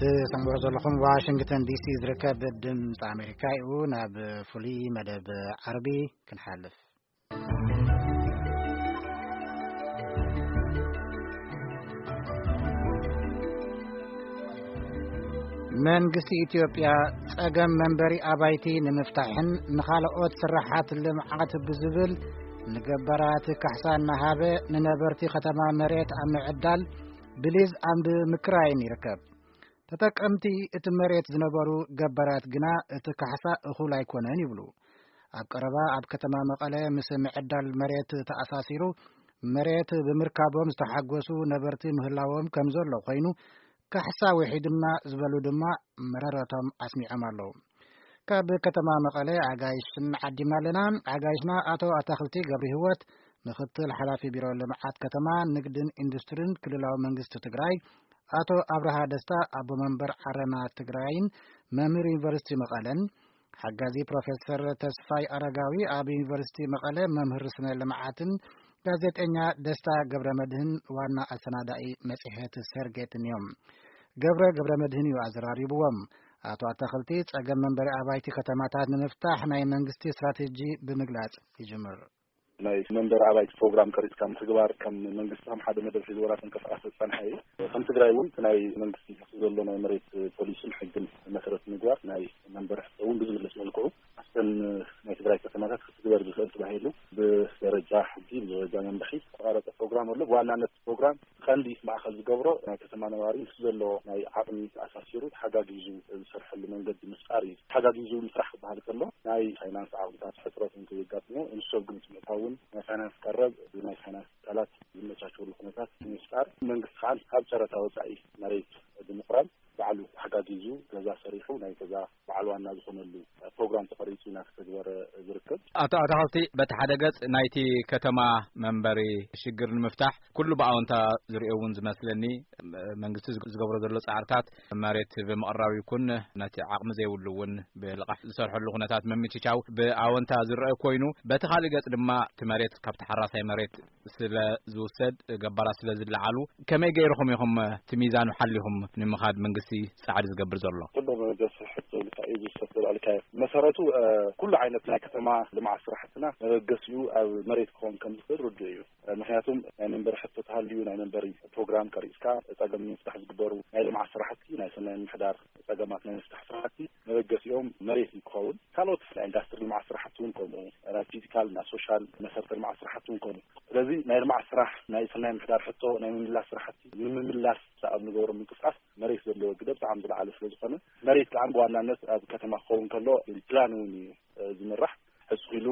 ትሰምዑ ዘለኹም ዋሽንግተን ዲሲ ዝርከብ ድምፂ ኣሜሪካ እዩ። ናብ ፍሉይ መደብ ዓርቢ ክንሓልፍ። መንግስቲ ኢትዮጵያ ጸገም መንበሪ ኣባይቲ ንምፍታሕን ንኻልኦት ስራሓት ልምዓት ብዝብል ንገባራት ካሕሳ እናሃበ ንነበርቲ ከተማ መሬት ኣብ ምዕዳል ብሊዝ ኣብ ምክራይን ይርከብ። ተጠቀምቲ እቲ መሬት ዝነበሩ ገባራት ግና እቲ ካሕሳ እኹል ኣይኮነን ይብሉ። ኣብ ቀረባ ኣብ ከተማ መቐለ ምስ ምዕዳል መሬት ተኣሳሲሩ መሬት ብምርካቦም ዝተሓጎሱ ነበርቲ ምህላዎም ከም ዘሎ ኮይኑ፣ ካሕሳ ውሒዱና ዝበሉ ድማ መረረቶም ኣስሚዖም ኣለዉ። ካብ ከተማ መቐለ ኣጋይሽን ዓዲምና ኣለና። ኣጋይሽና ኣቶ ኣታኽልቲ ገብረ ህይወት፣ ምክትል ሓላፊ ቢሮ ልምዓት ከተማ፣ ንግድን ኢንዱስትሪን ክልላዊ መንግስቲ ትግራይ፣ ኣቶ ኣብርሃ ደስታ፣ ኣቦ መንበር ዓረና ትግራይን መምህር ዩኒቨርሲቲ መቐለን፣ ሓጋዚ ፕሮፌሰር ተስፋይ ኣረጋዊ፣ ኣብ ዩኒቨርሲቲ መቐለ መምህር ስነ ልምዓትን፣ ጋዜጠኛ ደስታ ገብረ መድህን፣ ዋና ኣሰናዳኢ መጽሔት ሰርጌትን እዮም። ገብረ ገብረ መድህን እዩ ኣዘራሪብዎም። ኣቶ ኣታኽልቲ፣ ጸገም መንበሪ ኣባይቲ ከተማታት ንምፍታሕ ናይ መንግስቲ ስትራቴጂ ብምግላጽ ይጅምር። ናይ መንበሪ ኣባይቲ ፕሮግራም ቀሪጽካ ምትግባር ከም መንግስቲ ከም ሓደ መደብ ሒዝዎ እናተንቀሳቐሰ ዝጸንሐ እዩ። ከም ትግራይ እውን እቲ ናይ መንግስቲ ዘሎ ናይ መሬት ፖሊስን ሕግን መሰረት ምግባር ናይ መንበሪ ሕቶ እውን ብዝምልስ መልክዑ ኣብተን ናይ ትግራይ ከተማታት ክትግበር ዝኽእል ተባሂሉ ብደረጃ ሕጊ፣ ብደረጃ መምርሒ ዝተቐረጸ ፕሮግራም ኣሎ። ብዋናነት ፕሮግራም ቀንዲ ማእከል ዝገብሮ ናይ ከተማ ነባሪ ምስ ዘሎ ናይ ዓቕሚ ተኣሳሲሩ ተሓጋጊዙ ዝሰርሐሉ መንገዲ ምፍጣር እዩ። ተሓጋጊዙ ምስራሕ ክበሃል ከሎ ናይ ፋይናንስ ዓቕምታት ሕፅረት እንከየጋጥሞ፣ ንሱ ኣብ ግምት ምእታውን ናይ ፋይናንስ ቀረብ ብናይ ፋይናንስ ትካላት ዝመቻቸሉ ኩነታት ንምፍጣር፣ መንግስቲ ከዓ ካብ ጨረታ ወፃኢ መሬት ብምቕራብ ባዕሉ ተሓጋጊዙ ገዛ ሰሪሑ ናይ ገዛ በዓል ዋና ዝኾነሉ ፕሮግራም ተቐሪፁ እናተተግበረ ዝርከብ። ኣቶ ኣታኽልቲ፣ በቲ ሓደ ገጽ ናይቲ ከተማ መንበሪ ሽግር ንምፍታሕ ኩሉ ብኣወንታ ዝርእዮ እውን ዝመስለኒ፣ መንግስቲ ዝገብሮ ዘሎ ጻዕርታት መሬት ብምቕራብ ይኩን ነቲ ዓቕሚ ዘይብሉ እውን ብልቓሕ ዝሰርሐሉ ኩነታት ምምችቻው ብኣወንታ ዝረአ ኮይኑ፣ በቲ ካልእ ገጽ ድማ እቲ መሬት ካብቲ ሓራሳይ መሬት ስለ ዝውሰድ፣ ገባራት ስለ ዝለዓሉ፣ ከመይ ገይርኹም ኢኹም እቲ ሚዛኑ ሓሊኹም ንምኻድ መንግስቲ ጻዕሪ ዝገብር ዘሎ? ኩሎም መበገሲ ሕቶ እንታይ እዩ ዝውሰድ ተባልካዮ? መሰረቱ፣ እ፣ ኩሉ ዓይነት ናይ ከተማ ልምዓት ስራሕትና መበገሲኡ ኣብ መሬት ክኸውን ከም ዝኽእል ርዱእ እዩ። እ፣ ምኽንያቱም ናይ መንበሪ ሕቶ ተሃልዩ ናይ መንበሪ ፕሮግራም ቀሪጽካ ጸገም ንምፍታሕ ዝግበሩ ናይ ልምዓት ስራሕቲ፣ ናይ ሰናይ ምምሕዳር ጸገማት ናይ ምፍታሕ ስራሕቲ መበገሲኦም መሬት እዩ ክኸውን። ካልኦት ናይ ኢንዳስትሪ ልምዓት ስራሕቲ እውን ከምኡ፣ ናይ ፊዚካል፣ ናይ ሶሻል መሰረተ ልምዓት ስራሕቲ እውን ከምኡ። ስለዚ ናይ ልምዓት ስራሕ፣ ናይ ሰናይ ምምሕዳር ሕቶ ናይ ምምላስ ስራሕቲ ንምምላስ ኣብ ንገብሮ ምንቅስቃስ መሬት ዘለዎ ግደ ብጣዕሚ ዝለዓለ ስለ ዝኾነ፣ መሬት ከዓ ብዋናነት ኣብ ከተማ ክኸውን ከሎ ፕላን እውን እዩ፣ እ፣ ዝምራሕ። ሕጽ ኢሉ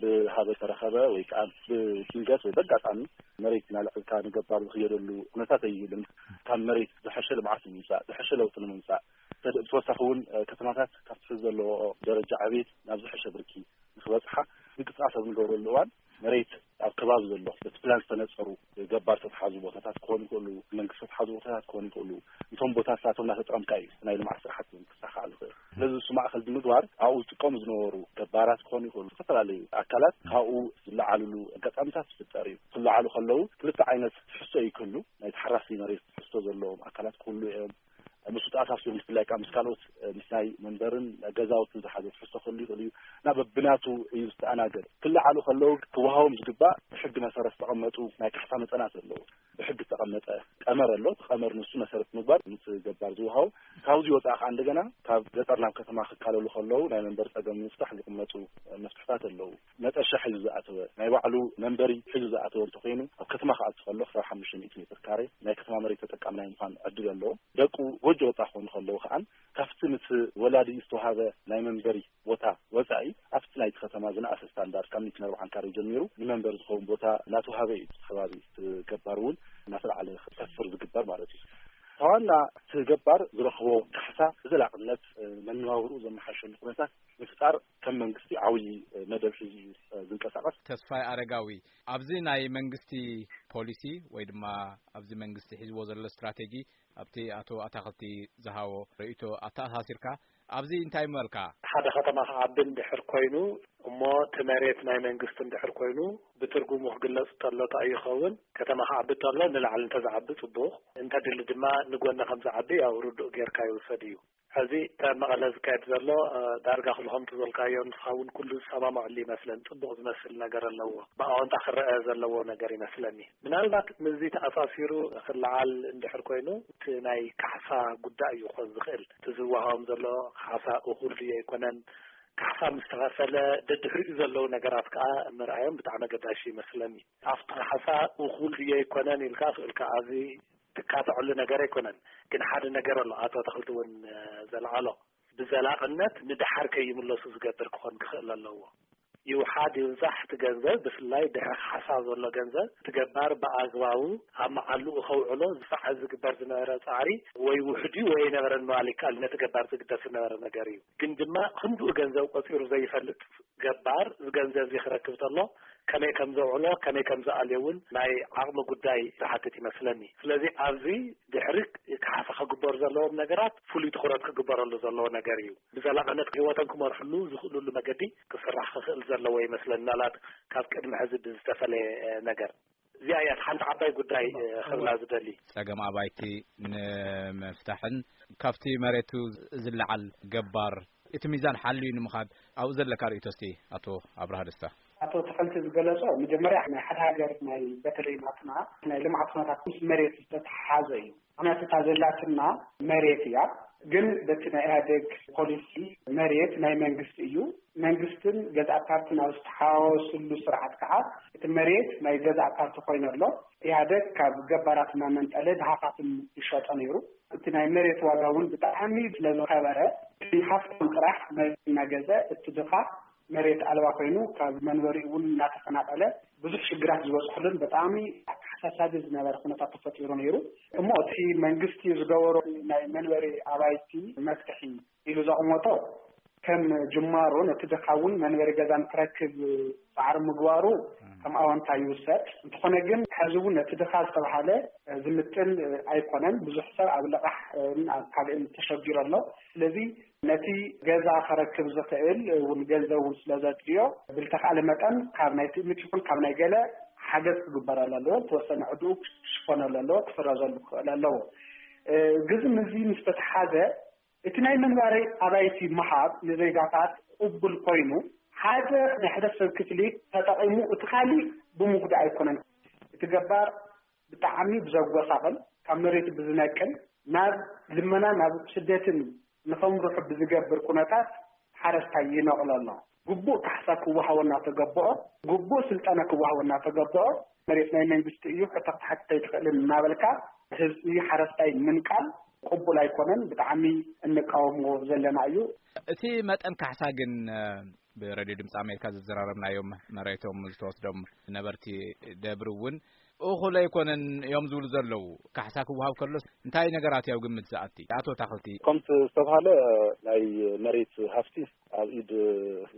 ብሃበ ተረኸበ ወይ ከዓ ብድንገት ወይ በጋጣሚ መሬት እናልዐልካ ንገባር ዝኽየደሉ ኩነታት ኣይህልን። ካብ መሬት ዝሐሸ ልምዓት ንምምፃእ፣ ዝሐሸ ለውጢ ንምምፃእ፣ ተደ-፣ ብተወሳኺ እውን፣ እ፣ ከተማታት ካብቲ ሕዚ ዘለዎ ደረጃ ዕቤት ናብ ዝሐሸ ብርኪ ንክበፅሓ ምንቅስቃስ ኣብ ንገብረሉ እዋን፣ መሬት ኣብ ከባቢ ዘሎ በቲ ፕላን ዝተነፀሩ ገባር ዝተትሓዙ ቦታታት ክኾኑ ይኽእሉ፣ መንግስቲ ዝተትሓዙ ቦታታት ክኾኑ ይኽእሉ። እቶም ቦታታት እናተጠቐምካ እዩ ናይ ልምዓት ስራሕቲ እውን ክሳኻዕ ዝኽእል። ስለዚ እሱ ማእኸል ብምግባር ኣብኡ ዝጥቀሙ ዝነበሩ ገባራት ክኾኑ ይኽእሉ፣ ዝተፈላለዩ ኣካላት ካብኡ ዝለዓልሉ ኣጋጣሚታት ዝፍጠር እዩ። ክለዓሉ ከለዉ ክልተ ዓይነት ትሕዝቶ እዩ ክህሉ። ናይ ተሓራሲ መሬት ትሕዝቶ ዘለዎም ኣካላት ክህሉ እዮም። ምስ ውፅኣት ኣፍሲሩ ብፍላይ ከዓ ምስ ካልኦት፣ እ፣ ምስ ናይ መንበርን ገዛውትን ዝሓዘ ትሕዝቶ ክህሉ ይኽእል እዩ። እና በብናቱ እዩ ዝተኣናገድ። ክለዓሉ ከለዉ ክወሃቦም ዝግባእ ብሕጊ መሰረት ዝተቐመጡ ናይ ካሕሳ መጠናት ኣለዉ። ብሕጊ ዝተቐመጠ ቀመር ኣሎ። እቲ ቀመር ንሱ መሰረት ምግባር ምስ ገባር ዝወሃቡ። ካብዚ ወፃኢ ከዓ እንደገና ካብ ገጠር ናብ ከተማ ክካለሉ ከለዉ ናይ መንበሪ ፀገም ንምፍታሕ ዝቕመጡ፣ እ፣ መፍትሕታት ኣለዉ። መጠሻ ሒዙ ዝኣተወ፣ ናይ ባዕሉ መንበሪ ሒዙ ዝኣተወ እንተኾይኑ፣ ኣብ ከተማ ክኣቱ ከሎ ክሳብ ሓሙሽተ ሚእቲ ሜትር ካሬ ናይ ከተማ መሬት ተጠቃሚ ናይ ምዃን ዕድል ኣለዎ። ደቁ ጎጆ ወፃ ክኾኑ ከለዉ ከዓን ካብቲ ምስ ወላዲ ዝተዋሃበ ናይ መንበሪ ቦታ ወፃኢ ኣብቲ ናይቲ ከተማ ዝነኣሰ ስታንዳርድ ካብ ሚእትን ኣርባዓን ካሬ ጀሚሩ ንመንበሪ ዝኸውን ቦታ እናተዋሃበ እዩ። እቲ ከባቢ፣ እቲ ገባር እውን እናተለዓለ ክሰፍር ዝግበር ማለት እዩ። እታ ዋና እቲ ገባር ዝረኽቦ ካሕሳ ብዘላቕነት፣ እ፣ መነባብርኡ ዘመሓሸሉ ኩነታት ምፍጣር ከም መንግስቲ ዓብዪ፣ እ፣ መደብ ሒዙ እዩ፣ እ፣ ዝንቀሳቐስ። ተስፋይ ኣረጋዊ፣ ኣብዚ ናይ መንግስቲ ፖሊሲ ወይ ድማ ኣብዚ መንግስቲ ሒዝዎ ዘሎ ስትራቴጂ ኣብቲ ኣቶ ኣታኽልቲ ዝሃቦ ርእይቶ ኣተኣሳሲርካ ኣብዚ እንታይ ምበልካ? ሓደ ከተማ ክዓቢ እንድሕር ኮይኑ እሞ እቲ መሬት ናይ መንግስቲ እንድሕር ኮይኑ ብትርጉሙ ክግለጽ ተሎ እንታይ ይኸውን? ከተማ ክዓቢ ተሎ ንላዕሊ እንተዝዓቢ ጽቡቕ፣ እንተድሊ ድማ ንጎኒ ከም ዝዓቢ ያው ርዱእ ጌርካ ይውሰድ እዩ። ሕዚ ካብ መቐለ ዝካየድ ዘሎ እ፣ ዳርጋ ክልኹም ትዘልካዮ ንስኻ እውን ኩሉ ዝሰማማዕሉ ይመስለን። ጽቡቕ ዝመስል ነገር ኣለዎ። ብኣወንታ ክረአ ዘለዎ ነገር ይመስለኒ። ምናልባት ምስዚ ተኣሳሲሩ ክለዓል እንድሕር ኮይኑ እቲ ናይ ካሕሳ ጉዳይ እዩ ክኾን ዝኽእል። እቲ ዝወሃቦም ዘሎ ካሕሳ እኹል ድዩ ኣይኮነን? ካሕሳ ምስ ተኸፈለ ደድሕሪኡ ዘለዉ ነገራት ከኣ ምርኣዮም ብጣዕሚ ኣገዳሲ ይመስለኒ። ኣብቲ ካሕሳ እኹል ድዩ ኣይኮነን ኢልካ ክእልካ ኣብዚ ትካትዐሉ ነገር ኣይኮነን። ግን ሓደ ነገር ኣሎ፣ ኣቶ ኣትኽልቲ እውን እ፣ ዘልዓሎ ብዘላቕነት ንደሓር ከይምለሱ ዝገብር ክኾን ክኽእል ኣለዎ። ይውሓድ ይብዛሕ እቲ ገንዘብ፣ ብፍላይ ድሕሪ ካሕሳ ዘሎ ገንዘብ እቲ ገባር ብኣግባቡ ኣብ መዓልኡ ከውዕሎ ዝሰዓ ዝግበር ዝነበረ ጻዕሪ ወይ ውሕድ እዩ ወይ ኣይነበረን ምባል ይከኣል። ነቲ ገባር ዝግደስ ዝነበረ ነገር እዩ። ግን ድማ ክንድኡ ገንዘብ ቆጺሩ ዘይፈልጥ ገባር እዚ ገንዘብ እዚ ክረክብ ተሎ ከመይ ከም ዘውዕሎ ከመይ ከም ዝኣልዮ እውን ናይ ዓቕሚ ጉዳይ ዝሓትት ይመስለኒ። ስለዚ ኣብዚ ድሕሪ ካሕሳ ክግበሩ ዘለዎም ነገራት ፍሉይ ትኹረት ክግበረሉ ዘለዎ ነገር እዩ። ብዘላቕነት ህይወቶም ክመርሕሉ ዝኽእልሉ መገዲ ክስራሕ ክኽእል ዘለዎ ይመስለኒ። ምናልባት ካብ ቅድሚ ሕዚ ብዝተፈለየ ነገር እዚኣ እያ ሓንቲ ዓባይ ጉዳይ ክብላ ዝደሊ። ጸገም ኣባይቲ ንምፍታሕን ካብቲ መሬቱ ዝለዓል ገባር እቲ ሚዛን ሓልዩ ንምኻድ ኣብኡ ዘለካ ርእይቶ እስቲ ኣቶ ኣብርሃ ደስታ። ኣቶ ተኸልቲ ዝገለጾ መጀመርያ ናይ ሓደ ሃገር ናይ በተለይ ናትና ናይ ልምዓት ኩነታት ምስ መሬት ዝተተሓሓዘ እዩ። ምክንያቱ እታ ዘላትና መሬት እያ። ግን በቲ ናይ ኢህኣዴግ ፖሊሲ መሬት ናይ መንግስቲ እዩ። መንግስትን ገዛእ ፓርትን ኣብ ዝተሓዋወስሉ ስርዓት ከዓ እቲ መሬት ናይ ገዛእ ፓርቲ ኮይኑ ኣሎ። ኢህኣዴግ ካብ ገባራት እናመንጠለ ድሃኻትን ይሸጦ ነይሩ። እቲ ናይ መሬት ዋጋ እውን ብጣዕሚ ስለዝኸበረ፣ እቲ ሃፍታም ጥራሕ መሬት እናገዘ እቲ ድኻ መሬት ኣልባ ኮይኑ ካብ መንበሪኡ እውን እናተፈናቀለ ብዙሕ ሽግራት ዝበፅሕሉን ብጣዕሚ ኣተሓሳሳቢ ዝነበረ ኩነታት ተፈጢሩ ነይሩ። እሞ እቲ መንግስቲ ዝገበሮ ናይ መንበሪ ኣባይቲ መፍትሒ ኢሉ ዘቕመጦ ከም ጅማሮ ነቲ ድኻ እውን መንበሪ ገዛ ንክረክብ ፃዕሪ ምግባሩ ከም ኣወንታ ይውሰድ። እንተኾነ ግን ሕዚ እውን ነቲ ድኻ ዝተባሃለ ዝምጥን ኣይኮነን። ብዙሕ ሰብ ኣብ ልቓሕ ኣብ ካልእን ተሸጊሩ ኣሎ። ስለዚ ነቲ ገዛ ከረክብ ዝኽእል እውን ገንዘብ እውን ስለ ዘድልዮ ብልተኻእለ መጠን ካብ ናይ ትእምት ይኹን ካብ ናይ ገለ ሓገዝ ክግበረሉ ኣለዎ። ዝተወሰነ ዕድኡ ክሽፈነሉ ኣለዎ፣ ክስረዘሉ ክኽእል ኣለዎ። ግዚ ምዚ ምስ ተተሓዘ እቲ ናይ መንባሪ ኣባይቲ ምሃብ ንዜጋታት ቅቡል ኮይኑ ሓደ ናይ ሕብረተሰብ ክፍሊ ተጠቒሙ እቲ ካሊእ ብምጉዳእ ኣይኮነን። እቲ ገባር ብጣዕሚ ብዘጎሳቕል ካብ መሬቱ ብዝነቅል ናብ ልመና ናብ ስደትን ንኸምርሑ ብዝገብር ኩነታት ሓረስታይ ይነቕሎ ኣሎ። ግቡእ ካሕሳ ክወሃቦ እናተገበኦ፣ ግቡእ ስልጠና ክወሃቦ እናተገበኦ መሬት ናይ መንግስቲ እዩ፣ ሕቶ ክትሓትት ኣይትኽእልን እናበልካ ህዝቢ ሓረስታይ ምንቃል ቅቡል ኣይኮነን። ብጣዕሚ እንቃወሞ ዘለና እዩ። እቲ መጠን ካሕሳ ግን ብሬድዮ ድምፂ ኣሜሪካ ዘዘራረብናዮም መሬቶም ዝተወስዶም ነበርቲ ደብሪ እውን እኹል ኣይኮነን እዮም ዝብሉ ዘለዉ። ካሕሳ ክወሃብ ከሎስ እንታይ ነገራት እዩ ኣብ ግምት ዝኣቲ? ኣቶ ታኽልቲ። ከምቲ ዝተባሃለ ናይ መሬት ሃፍቲ ኣብ ኢድ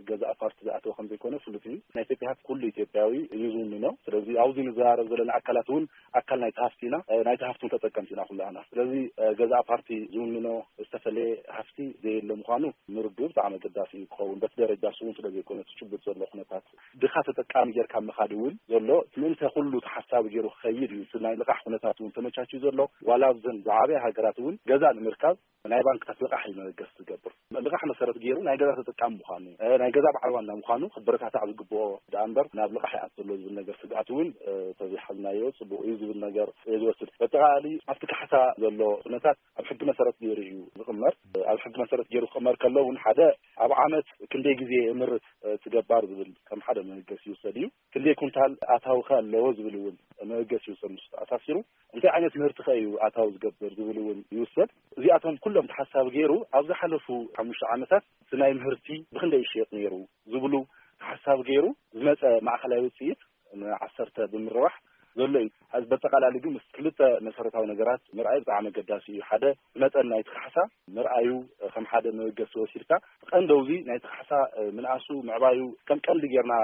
ገዛእ ፓርቲ ዝኣተወ ከም ዘይኮነ ፍሉጥ እዩ። ናይ ኢትዮጵያ ሃፍቲ ኩሉ ኢትዮጵያዊ እዩ ዝውንኖ። ስለዚ ኣብዚ ንዘራረብ ዘለና ኣካላት እውን ኣካል ናይቲ ሃፍቲ ኢና። ናይቲ ሃፍቲ እውን ተጠቀምቲ ኢና ኩላህና። ስለዚ ገዛእ ፓርቲ ዝውንኖ ዝተፈለየ ሃፍቲ ዘየለ ምዃኑ ምርድኡ ብጣዕሚ ኣገዳሲ እዩ ክኸውን። በቲ ደረጃ እሱ እውን ስለ ዘይኮነ እቲ ጭቡጥ ዘሎ ኩነታት ድኻ ተጠቃሚ ጌርካ ምኻድ እውን ዘሎ እቲ ምእንተ ኩሉ ተሓሳቢ ገይሩ ክኸይድ እዩ። እቲ ናይ ልቓሕ ኩነታት እውን ተመቻችዩ ዘሎ ዋላ ኣብዘን ዝዓበያ ሃገራት እውን ገዛ ንምርካብ ናይ ባንክታት ልቓሕ እዩ መበገሲ ዝገብር። ልቓሕ መሰረት ገይሩ ናይ ገዛ ተጠቃሚ ምዃኑ፣ እ፣ ናይ ገዛ በዓል ዋና ምዃኑ ክበረታታዕ ዝግብኦ ደኣ እምበር ናብ ልቓሕ ይኣቱ ዘሎ ዝብል ነገር ስግኣት እውን፣ እ፣ ተዘይሓዝናዮ ጽቡቕ እዩ ዝብል ነገር እየ ዝወስድ። በጠቓላሊ ኣብቲ ካሕሳ ዘሎ ኩነታት ኣብ ሕጊ መሰረት ገይሩ እዩ ዝቕመር። ኣብ ሕጊ መሰረት ገይሩ ክቕመር ከሎ እውን ሓደ ኣብ ዓመት ክንደይ ግዜ የምርት እቲ ገባር ዝብል ከም ሓደ መበገሲ ይውሰድ እዩ። ክንደይ ኩንታል ኣታዊ ከ ኣለዎ ዝብል እውን መበገሲ ይውሰድ። ምስ ተኣሳሲሩ እንታይ ዓይነት ምህርቲ ከ እዩ ኣታዊ ዝገብር ዝብል እውን ይውሰድ። እዚኣቶም ኩሎም ተሓሳቢ ገይሩ ኣብ ዝሓለፉ ሓሙሽተ ዓመታት እቲ ናይ ምህርቲ ብክንደይ ይሽየጥ ነይሩ ዝብሉ ተሓሳቢ ገይሩ ዝመፀ ማእኸላይ ውፅኢት ንዓሰርተ ብምርባሕ ዘሎ እዩ። በጠቓላሊ ግን ምስ ክልተ መሰረታዊ ነገራት ምርኣይ ብጣዕሚ ኣገዳሲ እዩ። ሓደ፣ መጠን ናይቲ ካሕሳ ምርኣዩ ከም ሓደ መበገሲ ወሲድካ፣ ቀንደውዚ ናይቲ ካሕሳ ምንኣሱ፣ ምዕባዩ ከም ቀንዲ ጌርና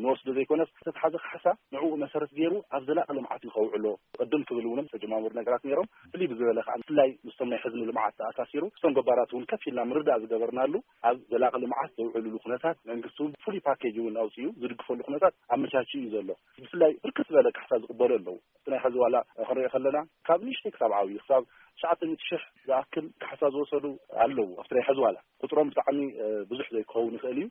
ንወስዶ ዘይኮነስ፣ ዝተትሓዘ ካሕሳ ንዕኡ መሰረት ገይሩ ኣብ ዘላቂ ልምዓት እዩ ከውዕሎ። ቅድም ክብል እውን ዝተጀማመሩ ነገራት ነይሮም። ፍልይ ብዝበለ ከዓ ብፍላይ ምስቶም ናይ ሕዝኒ ልምዓት ተኣሳሲሩ፣ ምስቶም ገባራት እውን ከፍ ኢልና ምርዳእ ዝገበርናሉ፣ ኣብ ዘላቂ ልምዓት ዘውዕልሉ ኩነታት መንግስቲ እውን ፍሉይ ፓኬጅ እውን ኣውፅኡ ዝድግፈሉ ኩነታት ኣመቻችኡ እዩ ዘሎ። ብፍላይ ብርክት ዝበለ ካሕሳ ዝቕበሉ ኣለዉ። እቲ ናይ ሕዚ ዋላ ክንሪኦ ከለና ካብ ንእሽተይ ክሳብ ዓብዩ ክሳብ ትሽዓተ ሚእቲ ሽሕ ዝኣክል ካሕሳ ዝወሰዱ ኣለዉ። ኣብቲ ናይ ሕዚ ዋላ ቁፅሮም ብጣዕሚ ብዙሕ ዘይክኸውን ይኽእል እዩ።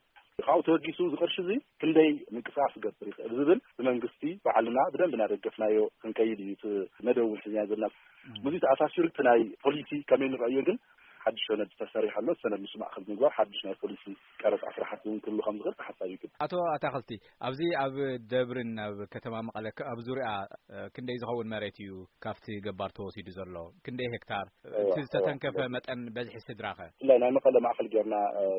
ካብኡ ተበጊሱ እዚ ቅርሺ እዚ ክንደይ ምንቅስቃስ ክገብር ይኽእል ዝብል ብመንግስቲ ባዕልና ብደንብ እናደገፍናዮ ክንከይድ እዩ እቲ መደብ እውን ሒዝና ዘለና። ምስዚ ተኣሳሲሩ እቲ ናይ ፖሊሲ ከመይ ንረኣዮ ግን ሓድሽ ሰነድ ተሰሪሑ ኣሎ። ሰነድ ምስ ማእኸል ምግባር ሓድሽ ናይ ፖሊሲ ቀረፃ ስራሕቲ እውን ክህሉ ከም ዝኽእል ተሓሳቢ ይግበር። ኣቶ ኣታኽልቲ፣ ኣብዚ ኣብ ደብርን ኣብ ከተማ መቐለ ከ-፣ ኣብ ዙሪያ ክንደይ ዝኸውን መሬት እዩ ካብቲ ገባር ተወሲዱ ዘሎ? ክንደይ ሄክታር? እቲ ዝተተንከፈ መጠን በዝሒ ስድራ ኸ? ብፍላይ ናይ መቐለ ማእኸል ጌርና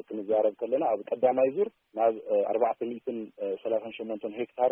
ክንዛረብ ከለና፣ ኣብ ቀዳማይ ዙር ናብ ኣርባዕተ ሚእትን ሰላሳን ሸሞንተን ሄክታር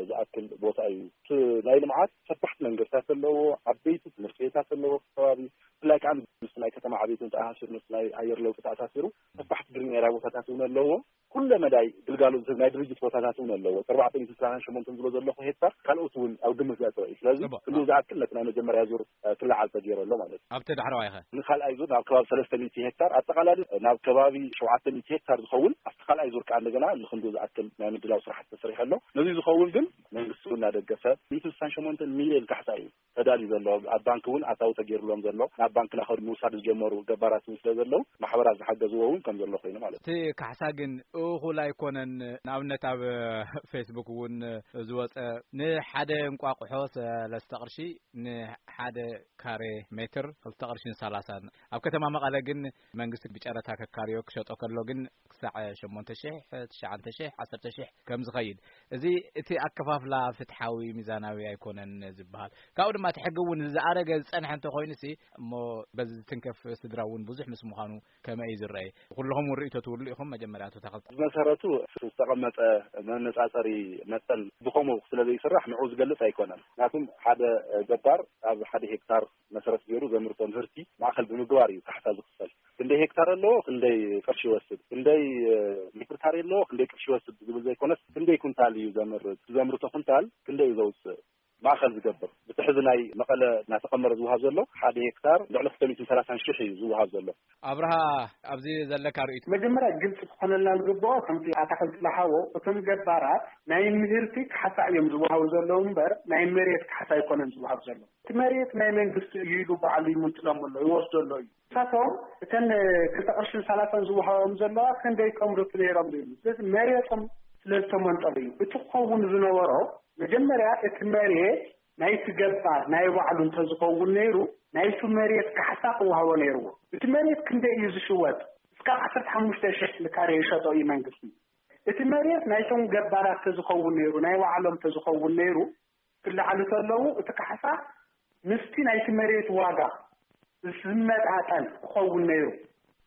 ዝኣክል ቦታ እዩ። እቲ ናይ ልምዓት ሰፋሕቲ መንገድታት ኣለዎ፣ ዓበይቲ ትምህርቲ ቤታት ኣለዎ፣ ከባቢ ብፍላይ ከዓ ምስ ናይ ከተማ ዕቤትን ተኣሳሲሩ፣ ምስ ናይ ኣየር ለውጢ ተኣሳሲሩ ሰፋሕቲ ግሪን ኤርያ ቦታታት እውን ኣለዎ። ኩለ መዳይ ግልጋሎት ዝህብ ናይ ድርጅት ቦታታት እውን ኣለዎ። ኣርባዕተ ሚእቲ ሰላሳን ሸሞንተን ዝብሎ ዘለኹ ሄክታር ካልኦት እውን ኣብ ግምት ዘእተወ እዩ። ስለዚ ክንዱ ዝኣክል ነቲ ናይ መጀመርያ ዙር ክለዓል ተገይሩ ኣሎ ማለት እዩ። ኣብቲ ዳሕረዋይ ኸ? ንካልኣይ ዙር ናብ ከባቢ ሰለስተ ሚእቲ ሄክታር፣ ኣጠቓላሊ ናብ ከባቢ ሸውዓተ ሚእቲ ሄክታር ዝኸውን ኣብቲ ካልኣይ ዙር ከዓ እንደገና ንክንዱ ዝኣክል ናይ ምድላው ስራሕቲ ተሰሪሑ ኣሎ። ነዚ ዝኸውን ግን መንግስቲ እውን እናደገፈ ሚእቲ ስሳን ሸሞንተን ሚልዮን ካሕሳ እዩ ተዳልዩ ዘሎ። ኣብ ባንክ እውን ኣታዊ ተገይሩሎም ዘሎ፣ ናብ ባንክ ናኸዱ ምውሳድ ዝጀመሩ ገባራት እውን ስለ ዘለዉ፣ ማሕበራት ዝሓገዝዎ እውን ከም ዘሎ ኮይኑ ማለት እዩ። እቲ ካሕሳ ግን እኹል ኣይኮነን። ንኣብነት ኣብ ፌስቡክ እውን ዝወፀ፣ ንሓደ እንቋቑሖ ሰለስተ ቅርሺ፣ ንሓደ ካሬ ሜትር ክልተ ቅርሽን ሰላሳን። ኣብ ከተማ መቐለ ግን መንግስቲ ብጨረታ ከካርዮ ክሸጦ ከሎ ግን ክሳዕ ሸሞንተ ሽሕ፣ ትሽዓተ ሽሕ፣ ዓሰርተ ሽሕ ከም ዝኸይድ። እዚ እቲ ኣከፋፍላ ፍትሓዊ፣ ሚዛናዊ ኣይኮነን ዝበሃል። ካብኡ ድማ እቲ ሕጊ እውን ዝኣረገ ዝጸንሐ እንተኾይኑሲ፣ እሞ በዚ ዝትንከፍ ስድራ እውን ብዙሕ ምስ ምዃኑ ከመይ እዩ ዝረኣይ? ኩልኹም እውን ርእይቶ ትብሉ ኢኹም። መጀመርያ ኣቶ ተኸልተ። ብመሰረቱ ዝተቐመጠ መነጻጸሪ መጠን ብኸምኡ ስለ ዘይስራሕ ንዕኡ ዝገልጽ ኣይኮነን። ምክንያቱም ሓደ ገባር ኣብ ሓደ ሄክታር መሰረት ገይሩ ዘምርቶ ምህርቲ ማእከል ብምግባር እዩ ካሕሳ ዝኽፈል። ክንደይ ሄክታር ኣለዎ፣ ክንደይ ቅርሺ ይወስድ፣ ክንደይ ሜትር ካሬ ኣለዎ፣ ክንደይ ቅርሺ ይወስድ ዝብል ዘይኮነስ፣ ክንደይ ኩንታል እዩ ዘምርት፣ ዘምርቶ ኩንታል ክንደይ እዩ ዘውፅእ ማእከል ዝገብር። ብቲ ሕዚ ናይ መቐለ እናተቐመረ ዝወሃብ ዘሎ ሓደ ሄክታር ልዕሊ ክልተ ሚእትን ሰላሳን ሽሕ እዩ ዝወሃብ ዘሎ። ኣብርሃ፣ ኣብዚ ዘለካ ርእይቶ? መጀመርያ ግልፂ ክኾነልና ዝግብኦ፣ ከምቲ ኣታኽልቲ ዝሓቦ፣ እቶም ገባራት ናይ ምህርቲ ካሕሳ እዮም ዝወሃቡ ዘለዉ እምበር ናይ መሬት ካሕሳ ኣይኮነን ዝወሃብ ዘሎ። እቲ መሬት ናይ መንግስቲ እዩ ኢሉ ባዕሉ ይምንጥሎም ኣሎ፣ ይወስዶ ኣሎ እዩ። ንሳቶም እተን ክልተ ቅርሽን ሰላሳን ዝወሃቦም ዘለዋ ክንደይ ከምርቱ ነይሮም ዝብል። ስለዚ መሬቶም ስለ ዝተመንጠሉ እዩ። እቲ ክኸውን ዝነበሮ መጀመርያ እቲ መሬት ናይቲ ገባር ናይ ባዕሉ እንተዝኸውን ነይሩ ናይቲ መሬት ካሕሳ ክወሃቦ ነይርዎ። እቲ መሬት ክንደይ እዩ ዝሽወጥ? እስካብ ዓሰርተ ሓሙሽተ ሽሕ ንካሬ ይሸጦ እዩ መንግስቲ። እቲ መሬት ናይቶም ገባራት ተዝኸውን ነይሩ፣ ናይ ባዕሎም ተዝኸውን ነይሩ፣ ክለዓሉ ከለዉ እቲ ካሕሳ ምስቲ ናይቲ መሬት ዋጋ ዝመጣጠን ክኸውን ነይሩ።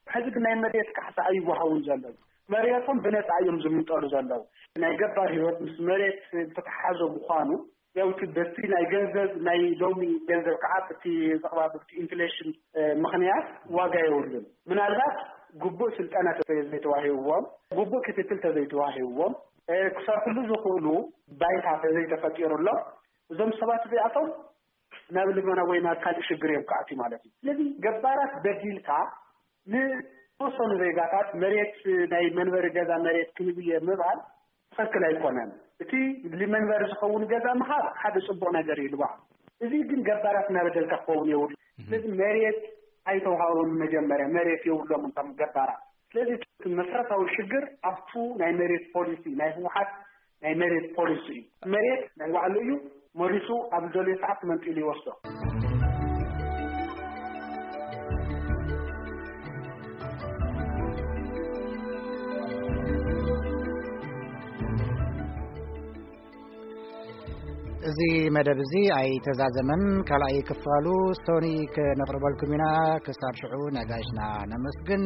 ሕዚ ግን ናይ መሬት ካሕሳ ኣይወሃቡን ዘለዉ። መሬቶም ብነፃ እዮም ዝምንጠሉ ዘለዉ። ናይ ገባር ህይወት ምስ መሬት ዝተተሓሓዘ ምዃኑ፣ ያው እቲ በቲ ናይ ገንዘብ፣ ናይ ሎሚ ገንዘብ ከዓ በቲ ዘቕባብ እቲ ኢንፍሌሽን፣ እ፣ ምኽንያት ዋጋ የብሉን። ምናልባት ግቡእ ስልጠና ተዘይተዋሂብዎም፣ ግቡእ ክትትል ተዘይተዋሂብዎም፣ እ፣ ክሰርሕሉ ዝኽእሉ ባይታ ተዘይተፈጢሩሎም፣ እዞም ሰባት እዚኣቶም ናብ ልመና ወይ ናብ ካልእ ሽግር እዮም ክኣትዩ ማለት እዩ። ስለዚ ገባራት በዲልካ ንተወሰኑ ዜጋታት መሬት፣ ናይ መንበሪ ገዛ መሬት ክህብ እየ ምባል ትኽክል ኣይኮነን። እቲ ንመንበሪ ዝኸውን ገዛ ምሃብ ሓደ ጽቡቕ ነገር እዩ ልባዕ። እዚ ግን ገባራት እናበደልካ ክኸውን የብሉ። ስለዚ መሬት ኣይተውሃቦም፣ መጀመርያ መሬት የብሎም እንቶም ገባራት። ስለዚ እቲ መሰረታዊ ሽግር ኣብቱ ናይ መሬት ፖሊሲ፣ ናይ ህወሓት ናይ መሬት ፖሊሲ እዩ። መሬት ናይ ባዕሉ እዩ፣ መሪሱ ኣብ ዝደልዮ ሰዓት መንጢሉ ይወስዶ። እዚ መደብ እዚ ኣይተዛዘመን። ካልኣይ ክፋሉ ሶኒ ከነቕርበልኩም ኢና። ክሳብ ሽዑ ነጋሽና ነመስግን።